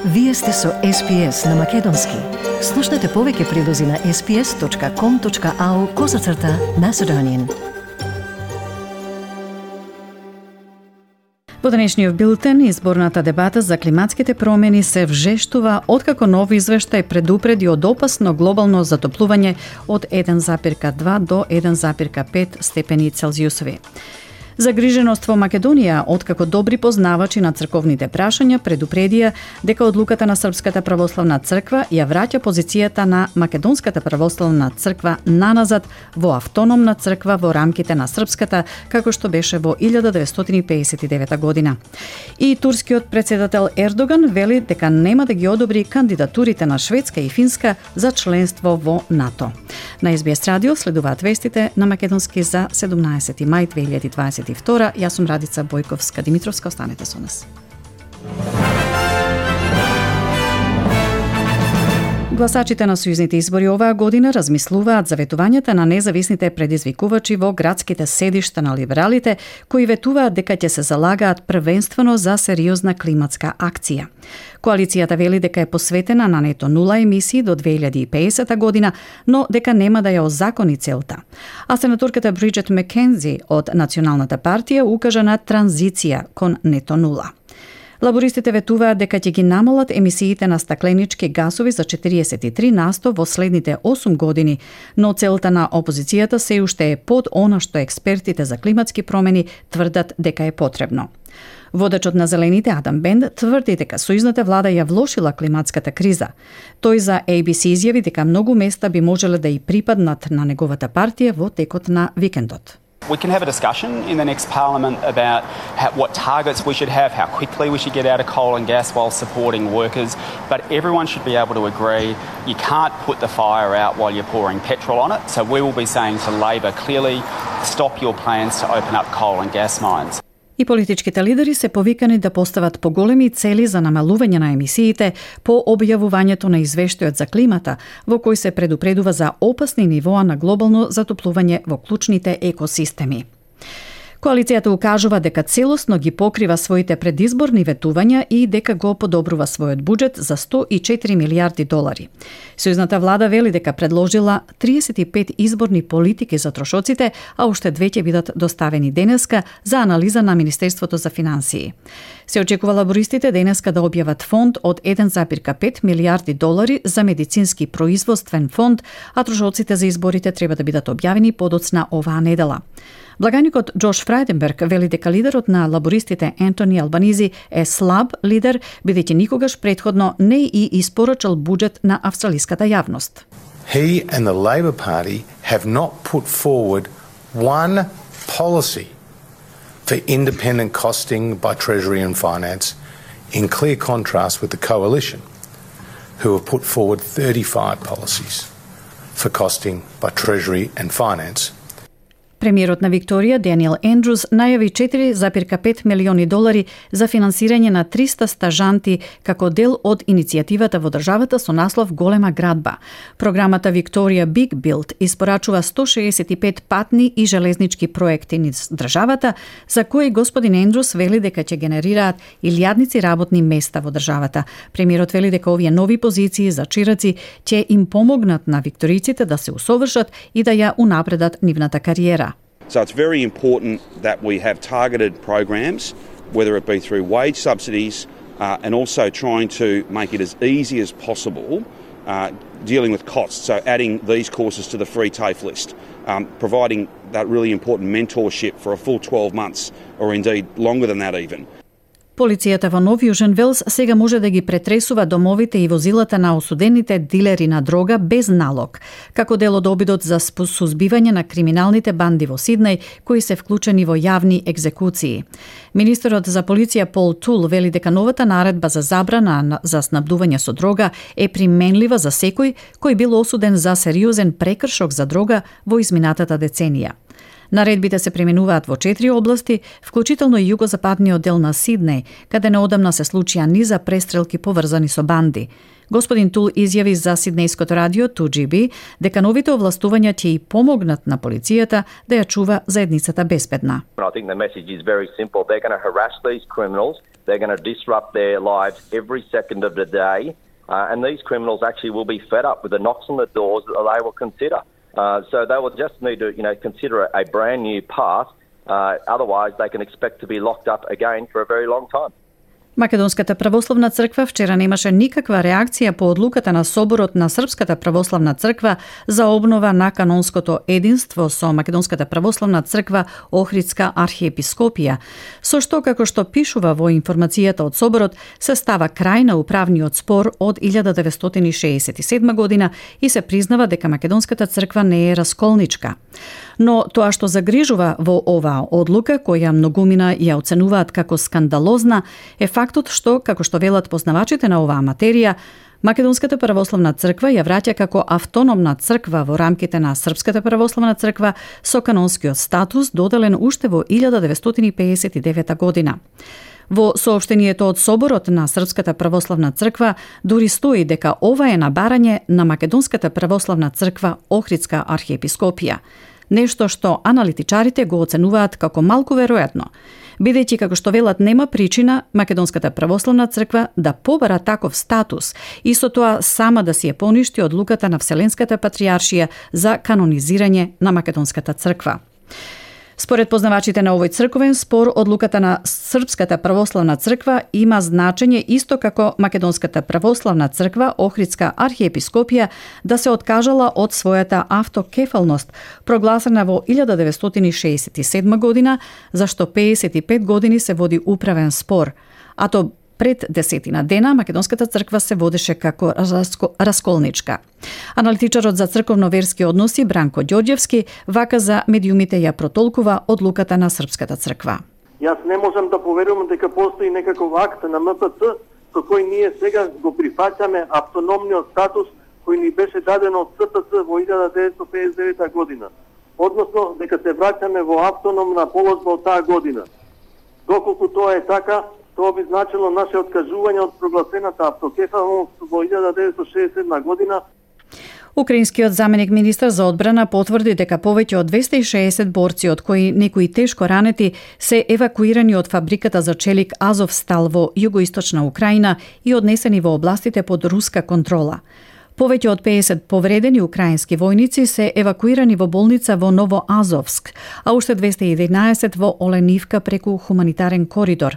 Вие сте со SPS на Македонски. Слушнете повеќе прилози на sps.com.au/Macedonian. Во денешниот билтен, изборната дебата за климатските промени се вжештува откако нов извештај предупреди од опасно глобално затоплување од 1,2 до 1,5 степени Целзиусови. Загриженост во Македонија, откако добри познавачи на црковните прашања предупредија дека одлуката на Српската православна црква ја враќа позицијата на Македонската православна црква наназад во автономна црква во рамките на Српската, како што беше во 1959 година. И турскиот председател Ердоган вели дека нема да ги одобри кандидатурите на Шведска и Финска за членство во НАТО. На SBS радио следуваат вестите на Македонски за 17 мај 2022. Јас сум Радица Бојковска-Димитровска, останете со нас. Гласачите на сојузните избори оваа година размислуваат за ветувањата на независните предизвикувачи во градските седишта на либералите, кои ветуваат дека ќе се залагаат првенствено за сериозна климатска акција. Коалицијата вели дека е посветена на нето нула емисии до 2050 година, но дека нема да ја озакони целта. А сенаторката Бриджет Маккензи од Националната партија укажа на транзиција кон нето нула. Лабористите ветуваат дека ќе ги намалат емисиите на стакленички гасови за 43% во следните 8 години, но целта на опозицијата се уште е под она што експертите за климатски промени тврдат дека е потребно. Водачот на Зелените Адам Бенд тврди дека сојузната влада ја влошила климатската криза. Тој за ABC изјави дека многу места би можеле да и припаднат на неговата партија во текот на викендот. We can have a discussion in the next parliament about what targets we should have, how quickly we should get out of coal and gas while supporting workers, but everyone should be able to agree you can't put the fire out while you're pouring petrol on it. So we will be saying to Labor clearly, stop your plans to open up coal and gas mines. И политичките лидери се повикани да постават поголеми цели за намалување на емисиите по објавувањето на извештајот за климата, во кој се предупредува за опасни нивоа на глобално затоплување во клучните екосистеми. Коалицијата укажува дека целосно ги покрива своите предизборни ветувања и дека го подобрува својот буџет за 104 милијарди долари. Сојузната влада вели дека предложила 35 изборни политики за трошоците, а уште 2 ќе бидат доставени денеска за анализа на Министерството за финансии. Се очекува лабористите денеска да објават фонд од 1,5 милијарди долари за медицински производствен фонд, а трошоците за изборите треба да бидат објавени подоцна оваа недела. Благаникот Джош Фрајденберг вели дека лидерот на лабористите Ентони Албанизи е слаб лидер, бидејќи никогаш претходно не и испорачал буџет на австралиската јавност. He and the Labor Party have not put forward one policy for independent costing by Treasury and Finance, in clear contrast with the Coalition, who have put forward 35 policies for costing by Treasury and Finance. Премиерот на Викторија, Даниел Ендрус, најави 4,5 милиони долари за финансирање на 300 стажанти како дел од иницијативата во државата со наслов Голема градба. Програмата Викторија Big Build испорачува 165 патни и железнички проекти низ државата, за кои господин Ендрус вели дека ќе генерираат илјадници работни места во државата. Премиерот вели дека овие нови позиции за чираци ќе им помогнат на викториците да се усовршат и да ја унапредат нивната кариера. So it's very important that we have targeted programs, whether it be through wage subsidies and also trying to make it as easy as possible dealing with costs. So adding these courses to the free TAFE list, providing that really important mentorship for a full 12 months or indeed longer than that even. Полицијата во Нов Јужен Велс сега може да ги претресува домовите и возилата на осудените дилери на дрога без налог, како дел од обидот за сузбивање на криминалните банди во Сиднеј, кои се вклучени во јавни екзекуции. Министерот за полиција Пол Тул вели дека новата наредба за забрана за снабдување со дрога е применлива за секој кој бил осуден за сериозен прекршок за дрога во изминатата деценија. Наредбите се применуваат во 4 области, вклучително и југозападниот дел на Сиднеј, каде неодамна се случија низа престрелки поврзани со банди. Господин Тул изјави за Сиднејското радио 2GB дека новите овластувања ќе и помогнат на полицијата да ја чува заедницата безбедна. I think the message is very simple. They're going to harass these criminals. They're going to disrupt their lives every second of the day. And these criminals actually will be fed up with the knocks on the doors that they will consider. So they will just need to, consider a brand new path. Otherwise, they can expect to be locked up again for a very long time. Македонската православна црква вчера немаше никаква реакција по одлуката на Соборот на Српската православна црква за обнова на канонското единство со Македонската православна црква Охридска архиепископија, со што, како што пишува во информацијата од Соборот, се става крај на управниот спор од 1967 година и се признава дека Македонската црква не е расколничка. Но тоа што загрижува во оваа одлука, која многумина ја оценуваат како скандалозна, е фактот што, како што велат познавачите на оваа материја, Македонската православна црква ја враќа како автономна црква во рамките на Српската православна црква со канонскиот статус доделен уште во 1959 година. Во соопштението од Соборот на Српската православна црква дури стои дека ова е на барање на Македонската православна црква Охридска архиепископија. Нешто што аналитичарите го оценуваат како малку веројатно, бидејќи како што велат нема причина Македонската православна црква да побара таков статус и со тоа сама да си ја поништи одлуката на Вселенската патријаршија за канонизирање на Македонската црква. Според познавачите на овој црковен спор, одлуката на Српската православна црква има значење исто како Македонската православна црква Охридска архиепископија да се откажала од својата автокефалност, прогласена во 1967 година, за што 55 години се води управен спор, а то пред 10 дена Македонската црква се водеше како расколничка. Аналитичарот за црковно-верски односи Бранко Ѓорѓевски вака за медиумите ја протолкува одлуката на Српската црква. Јас не можам да поверувам дека постои некаков акт на МПЦ со кој ние сега го прифаќаме автономниот статус кој ни беше даден од СПЦ во 1959 година. Односно дека се враќаме во автономна положба од таа година. Доколку тоа е така, тоа би значило наше откажување од прогласената автокефалност во 1967 година. Украинскиот заменик министар за одбрана потврди дека повеќе од 260 борци, од кои некои тешко ранети, се евакуирани од фабриката за челик Азовстал во југоисточна Украина и однесени во областите под руска контрола. Повеќе од 50 повредени украински војници се евакуирани во болница во Новоазовск, а уште 211 во Оленивка преку хуманитарен коридор.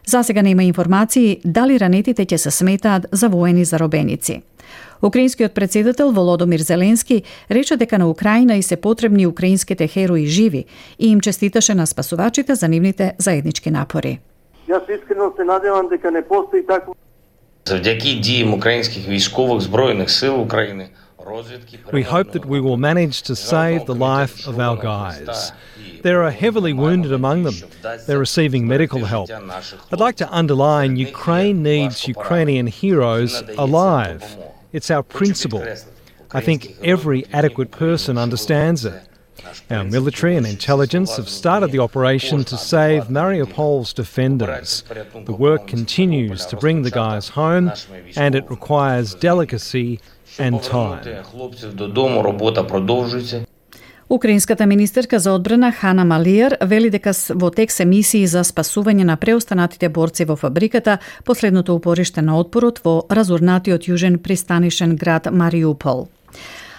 За сега нема информации дали ранетите ќе се сметаат за воени заробеници. Украинскиот председател Володомир Зеленски рече дека на Украина и се потребни украинските херои живи и им честиташе на спасувачите за нивните заеднички напори. Јас искрено се надевам дека не постои такво. Завдяки діям українських військових збройних сил України, розвідки... We hope that we will manage to save the life of our guys. There are heavily wounded among them. They're receiving medical help. I'd like to underline Ukraine needs Ukrainian heroes alive. It's our principle. I think every adequate person understands it. Our military and intelligence have started the operation to save Mariupol's defenders. The work continues to bring the guys home, and it requires delicacy and time. Украинската министерка за одбрана Хана Малиер вели дека во тек се мисии за спасување на преостанатите борци во фабриката последното упориште на отпорот во разурнатиот јужен пристанишен град Мариупол.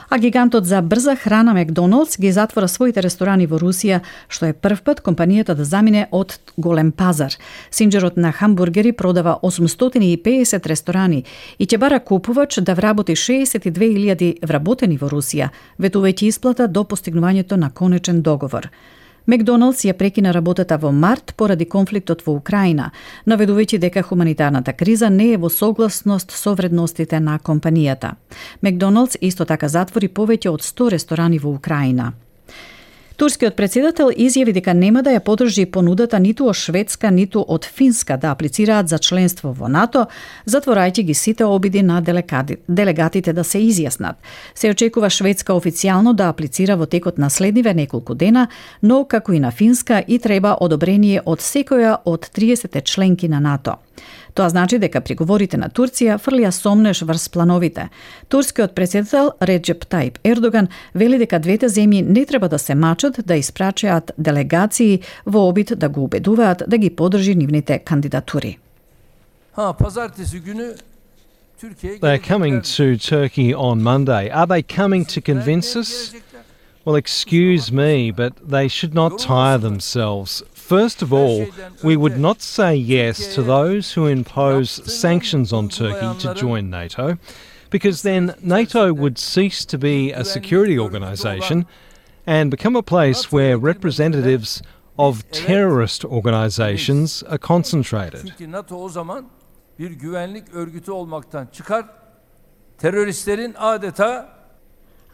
А гигантот за брза храна Макдоналдс ги затвора своите ресторани во Русија, што е прв пат компанијата да замине од голем пазар. Синџерот на хамбургери продава 850 ресторани и ќе бара купувач да вработи 62.000 вработени во Русија, ветувајќи исплата до постигнувањето на конечен договор. Макдоналдс ја прекина работата во март поради конфликтот во Украина, наведувајќи дека хуманитарната криза не е во согласност со вредностите на компанијата. Макдоналдс исто така затвори повеќе од 100 ресторани во Украина. Турскиот председател изјави дека нема да ја подржи понудата ниту од Шведска, ниту од Финска да аплицираат за членство во НАТО, затворајќи ги сите обиди на делегатите да се изјаснат. Се очекува Шведска официјално да аплицира во текот на следниве неколку дена, но како и на Финска и треба одобрение од секоја од 30 членки на НАТО. Тоа значи дека приговорите на Турција фрлија сомнеш врз плановите. Турскиот председател Реджеп Таип Ердоган вели дека двете земји не треба да се мачат да испрачаат делегации во обид да го убедуваат да ги подржи нивните кандидатури. They're coming to Turkey on Monday. Are they coming to convince us? Well, excuse me, but they should not tire themselves. First of all, we would not say yes to those who impose sanctions on Turkey to join NATO, because then NATO would cease to be a security organisation and become a place where representatives of terrorist organisations are concentrated. Bir güvenlik örgütü olmaktan çıkar, teröristlerin adeta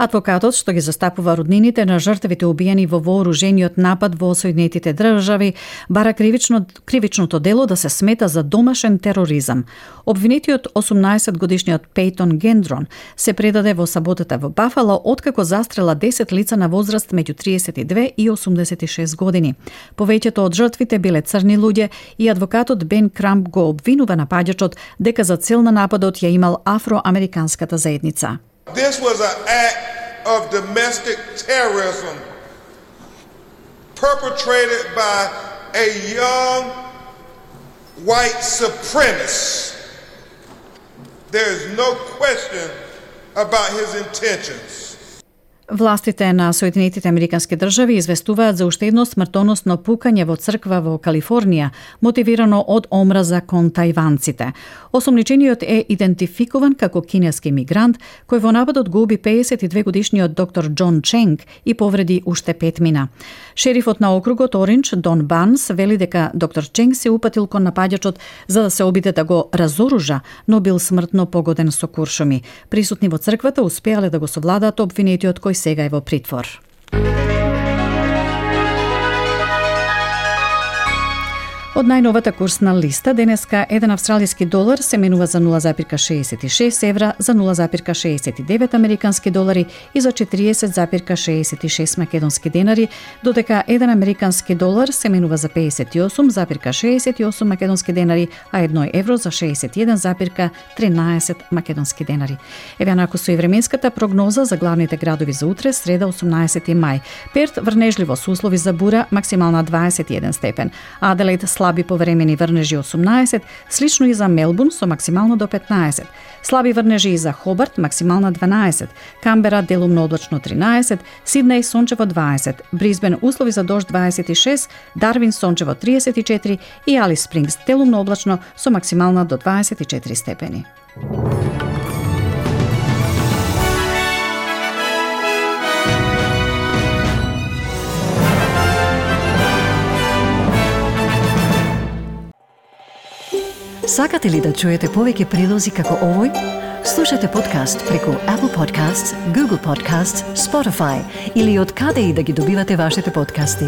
Адвокатот што ги застапува роднините на жртвите убиени во вооружениот напад во Соединетите држави бара кривичното дело да се смета за домашен тероризам. Обвинетиот 18-годишниот Пейтон Гендрон се предаде во саботата во Бафало откако застрела 10 лица на возраст меѓу 32 и 86 години. Повеќето од жртвите биле црни луѓе и адвокатот Бен Крамп го обвинува напаѓачот дека за цел на нападот ја имал афроамериканската заедница. This was an act of domestic terrorism perpetrated by a young white supremacist. There is no question about his intentions. Властите на Соединетите Американски држави известуваат за уште едно смртоносно пукање во црква во Калифорнија, мотивирано од омраза кон тајванците. Осомничениот е идентификуван како кинески мигрант, кој во нападот го уби 52-годишниот доктор Џон Ченг и повреди уште 5 мина. Шерифот на округот Оринџ, Дон Барнс, вели дека доктор Ченг се упатил кон напаѓачот за да се обиде да го разоружа, но бил смртно погоден со куршуми. Присутни во црквата успеале да го совладаат обвинетиот кој сега е во притвор. Од најновата курсна листа, денеска еден австралиски долар се менува за 0,66 евра, за 0,69 американски долари и за 40,66 македонски денари, додека еден американски долар се менува за 58,68 македонски денари, а 1 евро за 61,13 македонски денари. Еве нако со и временската прогноза за главните градови за утре, среда 18 мај. Перт врнежливо со услови за бура, максимална 21 степен. Аделаид слаби повремени врнежи 18, слично и за Мелбурн со максимално до 15. Слаби врнежи и за Хобарт, максимална 12. Камбера делумно облачно 13, Сиднеј сончево 20, Брисбен услови за дожд 26, Дарвин сончево 34 и Алис Спрингс делумно облачно со максимална до 24 степени. Сакате ли да чуете повеќе прилози како овој? Слушате подкаст преку Apple Podcasts, Google Podcasts, Spotify или од каде и да ги добивате вашите подкасти.